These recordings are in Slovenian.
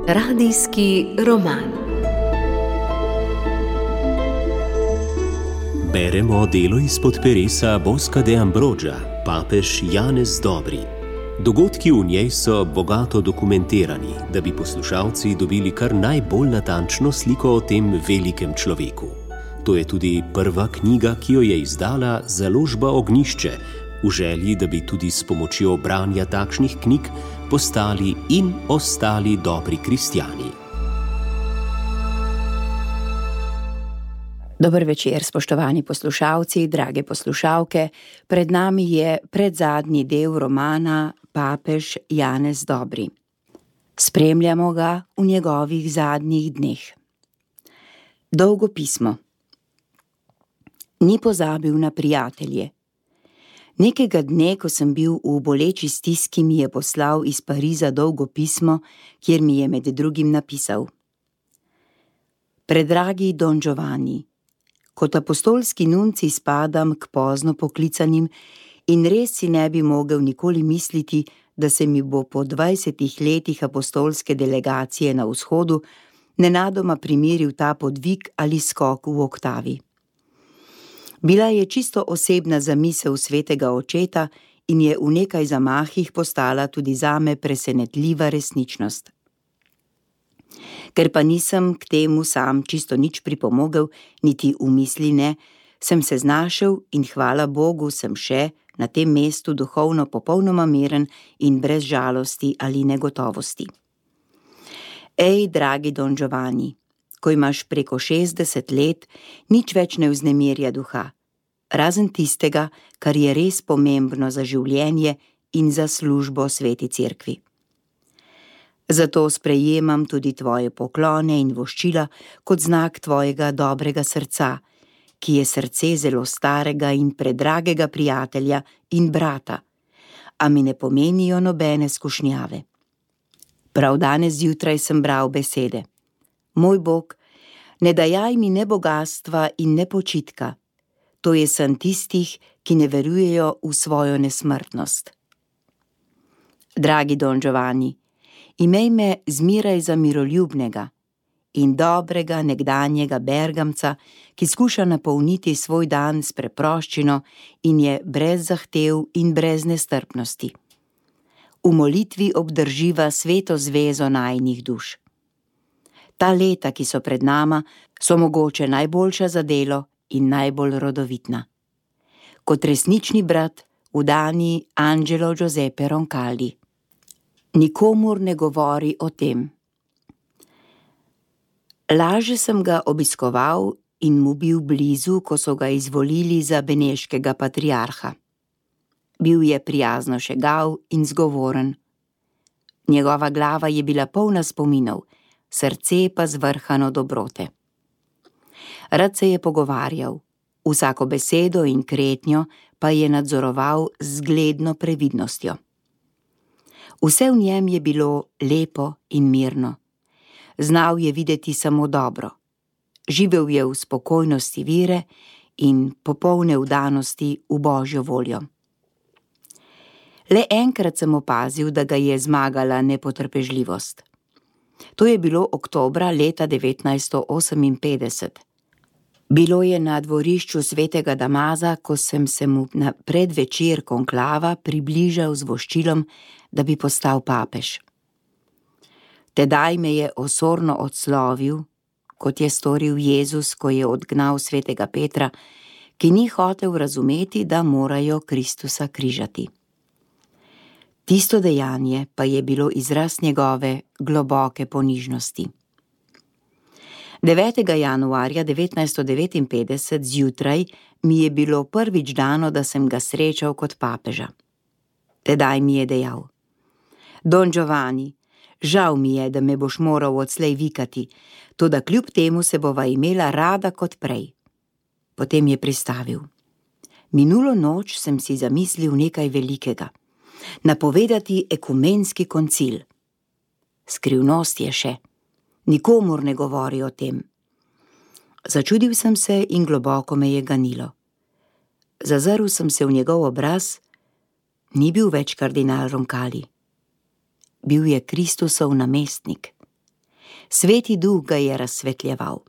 Radijski roman. Beremo delo izpod peresa Bosca de Ambroggia, papež Janez Dobri. Dogodki v njej so bogato dokumentirani, da bi poslušalci dobili kar najbolj natančno sliko o tem velikem človeku. To je tudi prva knjiga, ki jo je izdala založba Ognjišče, v želji, da bi tudi s pomočjo branja takšnih knjig postali in ostali dobri kristjani. Dober večer, spoštovani poslušalci, drage poslušalke. Pred nami je predzadnji del romana Papež Janez Dobri. Spremljamo ga v njegovih zadnjih dneh. Dolgo pismo. Ni pozabil na prijatelje. Nekega dne, ko sem bil v boleči stiski, mi je poslal iz Pariza dolgo pismo, kjer mi je med drugim napisal: Predragi Don Giovanni, kot apostolski nuncij spadam k pozno poklicanim in res si ne bi mogel nikoli misliti, da se mi bo po 20 letih apostolske delegacije na vzhodu nenadoma primeril ta podvig ali skok v oktavi. Bila je čisto osebna zamisel svetega očeta in je v nekaj zamahih postala tudi zame presenetljiva resničnost. Ker pa nisem k temu sam čisto nič pripomogel, niti v misli ne, sem se znašel in hvala Bogu sem še na tem mestu duhovno popolnoma miren in brez žalosti ali negotovosti. Ej, dragi Don Giovanni, ko imaš preko 60 let, nič več ne vznemirja duha, razen tistega, kar je res pomembno za življenje in za službo sveti cerkvi. Zato sprejemam tudi tvoje poklone in voščila kot znak tvojega dobrega srca, ki je srce zelo starega in predragega prijatelja in brata, a mi ne pomenijo nobene skušnjave. Prav danes zjutraj sem bral besede: Moj Bog, ne dajaj mi ne bogastva in ne počitka, to je san tistih, ki ne verujejo v svojo nesmrtnost. Dragi Don Giovanni, imej me zmeraj za miroljubnega in dobrega nekdanjega bergamca, ki skuša napolniti svoj dan s preproščino in je brez zahtev in brez nestrpnosti. V molitvi obdrživa sveto zvezo najinih duš. Ta leta, ki so pred nama, so mogoče najboljša za delo in najbolj rodovitna. Kot resnični brat v Dani Angelo Giuseppe Roncalli. Nikomur ne govori o tem. Laže sem ga obiskoval in mu bil blizu, ko so ga izvolili za beneškega patriarha. Bil je prijazno šegav in zgovoren. Njegova glava je bila polna spominov, srce pa zvrhano dobrote. Rad se je pogovarjal, vsako besedo in kretnjo pa je nadzoroval z zgledno previdnostjo. Vse v njem je bilo lepo in mirno. Znal je videti samo dobro. Živel je v spokojnosti vere in popolne vdanosti v Božjo voljo. Le enkrat sem opazil, da ga je zmagala nepotrpežljivost. To je bilo oktobra leta 1958. Bilo je na dvorišču svetega Damaza, ko sem se mu na predvečer konklava približal z voščilom, da bi postal papež. Tedaj me je osorno odslovil, kot je storil Jezus, ko je odgnal svetega Petra, ki ni hotel razumeti, da morajo Kristusa križati. Tisto dejanje pa je bilo izraz njegove globoke ponižnosti. 9. januarja 1959 zjutraj mi je bilo prvič dano, da sem ga srečal kot papeža. Tedaj mi je dejal: Don Giovanni, žal mi je, da me boš moral odslej vikati, toda kljub temu se bova imela rada kot prej. Potem je pristavil: Minulo noč sem si zamislil nekaj velikega. Napovedati ekumenski koncil. Skrivnost je še. Nikomur ne govori o tem. Začudil sem se in globoko me je ganilo. Zazrl sem se v njegov obraz ni bil več kardinal Roncalli. Bil je Kristusov namestnik. Sveti duh ga je razsvetljeval.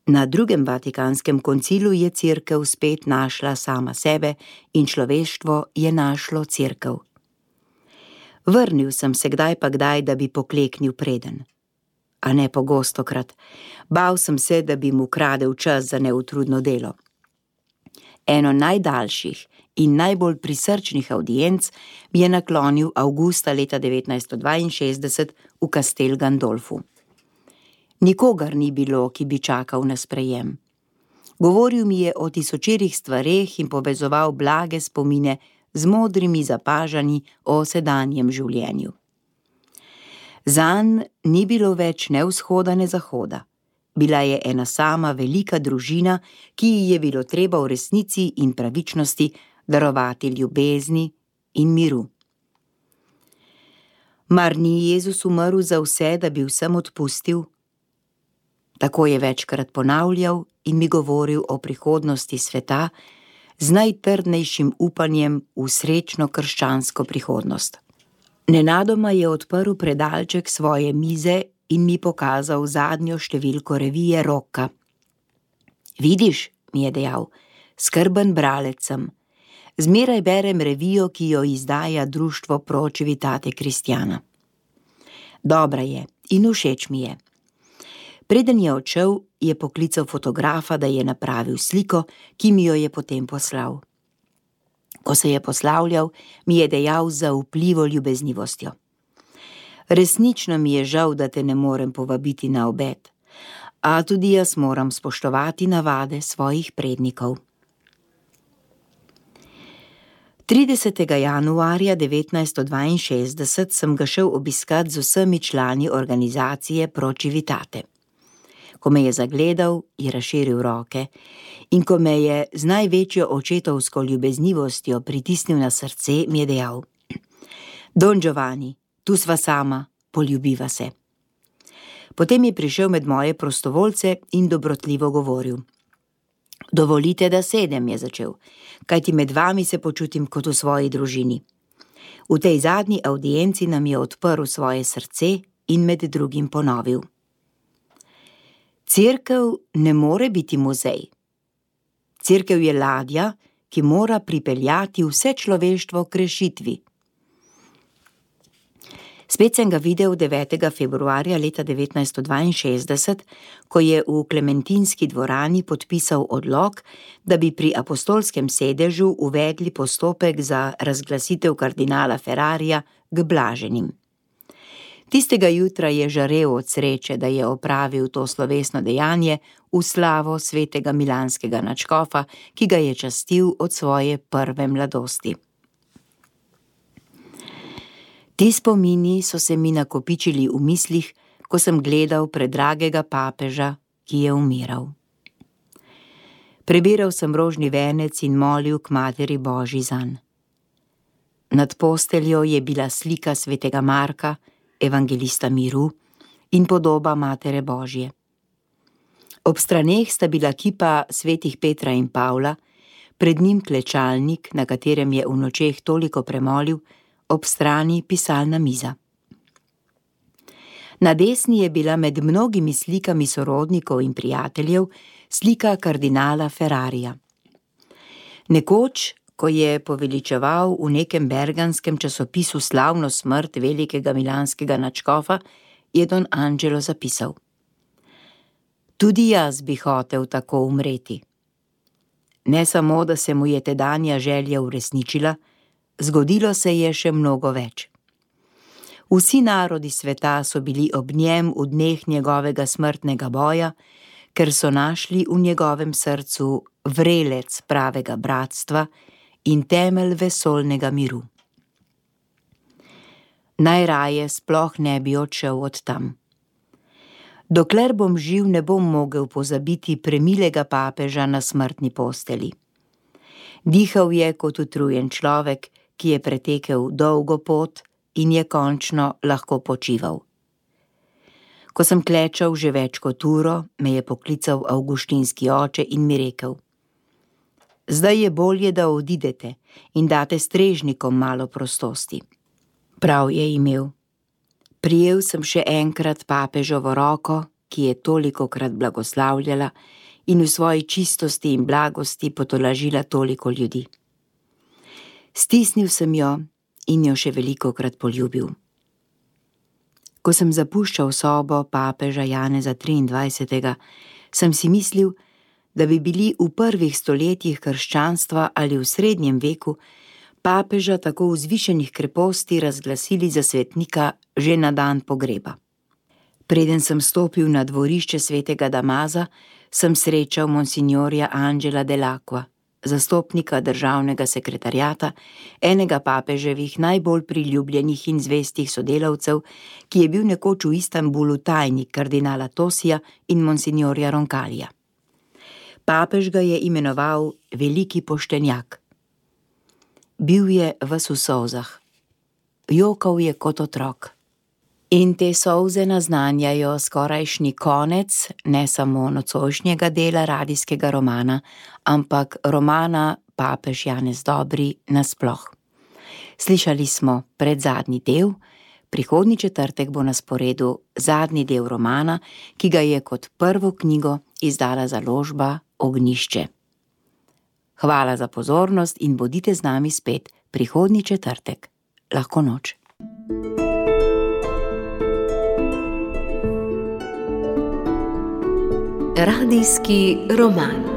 Na drugem Vatikanskem koncilu je cerkev spet našla sama sebe in človeštvo je našlo cerkev. Vrnil sem se kdaj pa kdaj, da bi pokleknil preden. A ne pogostokrat. Bal sem se, da bi mu kradel čas za neutrudno delo. Eno najdaljših in najbolj prisrčnih avdienc mi je naklonil avgusta leta 1962 v Castel Gandolfu. Nikogar ni bilo, ki bi čakal na sprejem. Govoril mi je o tisočerih stvareh in povezoval blage spomine z modrimi zapažanji o sedanjem življenju. Zanj ni bilo več ne vzhoda ne zahoda. Bila je ena sama velika družina, ki ji je bilo treba v resnici in pravičnosti darovati ljubezni in miru. Mar ni Jezus umrl za vse, da bi vsem odpustil? Tako je večkrat ponavljal in mi govoril o prihodnosti sveta z najtrdnejšim upanjem v srečno krščansko prihodnost. Nenadoma je odprl predalček svoje mize in mi pokazal zadnjo številko revije Rocca. Vidiš, mi je dejal, skrben bralec sem. Zmeraj berem revijo, ki jo izdaja društvo Pro Civitate Cristiana. Dobra je in všeč mi je. Preden je odšel, je poklical fotografa, da je napravil sliko, ki mi jo je potem poslal. Ko se je poslavljal, mi je dejal z zaupljivo ljubeznivostjo. Resnično mi je žal, da te ne morem povabiti na obed, a tudi jaz moram spoštovati navade svojih prednikov. 30. januarja 1962 sem ga šel obiskat z vsemi člani organizacije Pro Civitate. Ko me je zagledal, je razširil roke in ko me je z največjo očetovsko ljubeznivostjo pritisnil na srce, mi je dejal: Don Giovanni, tu sva sama, poljubiva se. Potem je prišel med moje prostovoljce in dobrotljivo govoril. Dovolite, da sedem, je začel, kajti med vami se počutim kot v svoji družini. V tej zadnji avdienci nam je odprl svoje srce in med drugim ponovil. Cerkev ne more biti muzej. Cerkev je ladja, ki mora pripeljati vse človeštvo k rešitvi. Spet sem ga videl 9. februarja leta 1962, ko je v Klementinski dvorani podpisal odlok, da bi pri apostolskem sedežu uvedli postopek za razglasitev kardinala Ferrarija k blaženim. Tistega jutra je žarel od sreče, da je opravil to slovesno dejanje v slavo svetega milanskega nadškofa, ki ga je častil od svoje prve mladosti. Ti spomini so se mi nakopičili v mislih, ko sem gledal predragega papeža, ki je umiral. Prebiral sem rožni venec in molil k Materi Božji zanj. Nad posteljo je bila slika svetega Marka, evangelista miru, in podoba Matere Božje. Ob straneh sta bila kipa svetih Petra in Pavla, pred njim klečalnik, na katerem je v nočeh toliko premolil, ob strani pisalna miza. Na desni je bila med mnogimi slikami sorodnikov in prijateljev slika kardinala Ferrarija. Nekoč, ko je poveličeval v nekem berganskem časopisu slavno smrt velikega milanskega nadškofa, je Don Angelo zapisal: Tudi jaz bi hotel tako umreti. Ne samo, da se mu je tedanja želja uresničila, zgodilo se je še mnogo več. Vsi narodi sveta so bili ob njem v dneh njegovega smrtnega boja, ker so našli v njegovem srcu vrelec pravega bratstva in temelj vesoljnega miru. Najraje sploh ne bi odšel od tam. Dokler bom živ, ne bom mogel pozabiti premilega papeža na smrtni posteli. Dihal je kot utrujen človek, ki je pretekel dolgo pot in je končno lahko počival. Ko sem klečal že več kot uro, me je poklical avguštinski oče in mi rekel: Zdaj je bolje, da odidete in date strežnikom malo prostosti. Prav je imel. Prijel sem še enkrat papežovo roko, ki je tolikokrat blagoslavljala in v svoji čistosti in blagosti potolažila toliko ljudi. Stisnil sem jo in jo še velikokrat poljubil. Ko sem zapuščal sobo papeža Janeza 23., sem si mislil, da bi bili v prvih stoletjih krščanstva ali v srednjem veku papeža tako vzvišenih kreposti razglasili za svetnika že na dan pogreba. Preden sem stopil na dvorišče svetega Damaza, sem srečal monsignorja Angela Dell'Acqua, zastopnika državnega sekretariata, enega papeževih najbolj priljubljenih in zvestih sodelavcev, ki je bil nekoč v Istanbulu tajnik kardinala Tosija in monsignorja Roncalija. Papež ga je imenoval veliki poštenjak. Bil je ves v solzah. Jokal je kot otrok. In te solze naznanjajo skorajšnji konec ne samo nocojšnjega dela radijskega romana, ampak romana Papež Janez Dobri nasploh. Slišali smo predzadnji del, prihodnji četrtek bo na sporedu zadnji del romana, ki ga je kot prvo knjigo izdala založba Ognjišče. Hvala za pozornost in bodite z nami spet prihodnji četrtek. Lahko noč. Radijski roman.